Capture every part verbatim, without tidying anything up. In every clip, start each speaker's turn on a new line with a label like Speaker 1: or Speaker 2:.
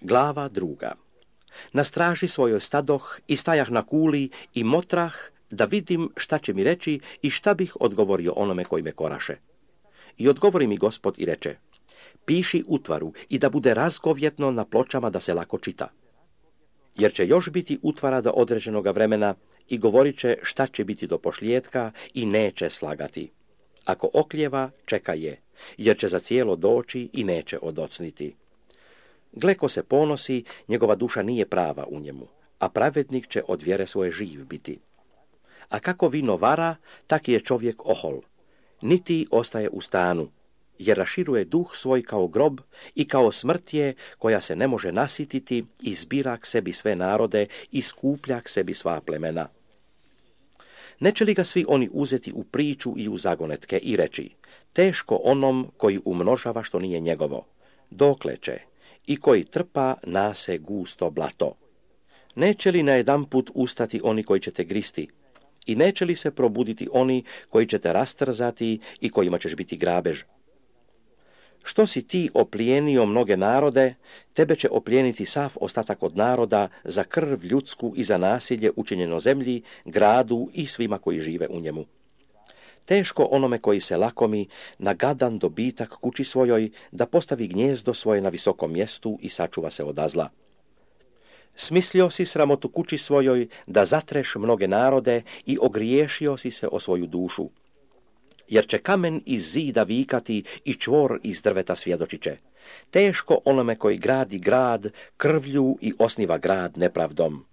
Speaker 1: Glava druga. Na straži svojoj stadoh i stajah na kuli i motrah da vidim šta će mi reći i šta bih odgovorio onome koji me koraše. I odgovori mi Gospod i reče, piši utvaru i da bude razgovjetno na pločama da se lako čita. Jer će još biti utvara do određenoga vremena i govorit će šta će biti do pošlijetka i neće slagati. Ako oklijeva, čeka je, jer će za cijelo doći i neće odocniti. Gle ko se ponosi, njegova duša nije prava u njemu, a pravednik će od vjere svoje živ biti. A kako vino vara, tak je čovjek ohol. Niti ostaje u stanu, jer raširuje duh svoj kao grob i kao smrt je koja se ne može nasititi i zbira k sebi sve narode i skuplja k sebi sva plemena. Neće li ga svi oni uzeti u priču i u zagonetke i reći, teško onom koji umnožava što nije njegovo, dokle će, i koji trpa nase gusto blato. Neće li najedanput ustati oni koji će te gristi, i neće li se probuditi oni koji će te rastrzati i kojima ćeš biti grabež? Što si ti oplijenio mnoge narode, tebe će oplijeniti sav ostatak od naroda za krv ljudsku i za nasilje učinjeno zemlji, gradu i svima koji žive u njemu. Teško onome koji se lakomi na gadan dobitak kući svojoj da postavi gnjezdo svoje na visokom mjestu i sačuva se od zla. Smislio si sramotu kući svojoj da zatreš mnoge narode i ogriješio si se o svoju dušu. Jer će kamen iz zida vikati i čvor iz drveta svjedočit će. Teško onome koji gradi grad krvlju i osniva grad nepravdom.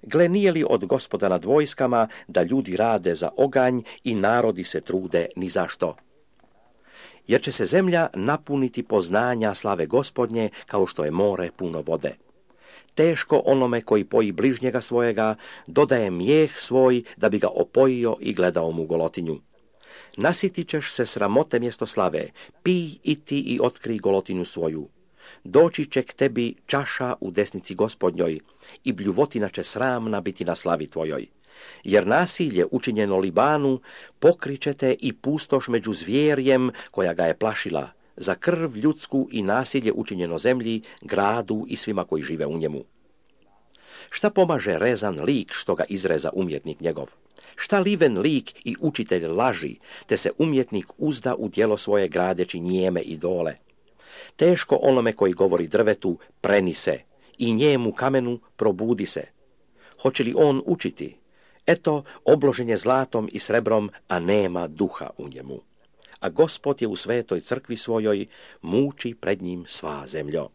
Speaker 1: Gle, nije li od Gospoda nad vojskama da ljudi rade za oganj i narodi se trude ni zašto? Jer će se zemlja napuniti poznanja slave Gospodnje kao što je more puno vode. Teško onome koji poji bližnjega svojega, dodaje mijeh svoj da bi ga opojio i gledao mu golotinju. Nasitit ćeš se sramote mjesto slave, pij i ti i otkri golotinju svoju. Doći će k tebi čaša u desnici Gospodnjoj i bljuvotina će sramna biti na slavi tvojoj. Jer nasilje učinjeno Libanu pokrićete i pustoš među zvjerjem koja ga je plašila, za krv ljudsku i nasilje učinjeno zemlji, gradu i svima koji žive u njemu. Šta pomaže rezan lik što ga izreza umjetnik njegov? Šta liven lik i učitelj laži, te se umjetnik uzda u djelo svoje gradeći njeme idole? Teško onome koji govori drvetu, preni se, i njemu kamenu probudi se. Hoće li on učiti? Eto, obložen je zlatom i srebrom, a nema duha u njemu. A Gospod je u svetoj crkvi svojoj, muči pred njim sva zemljo.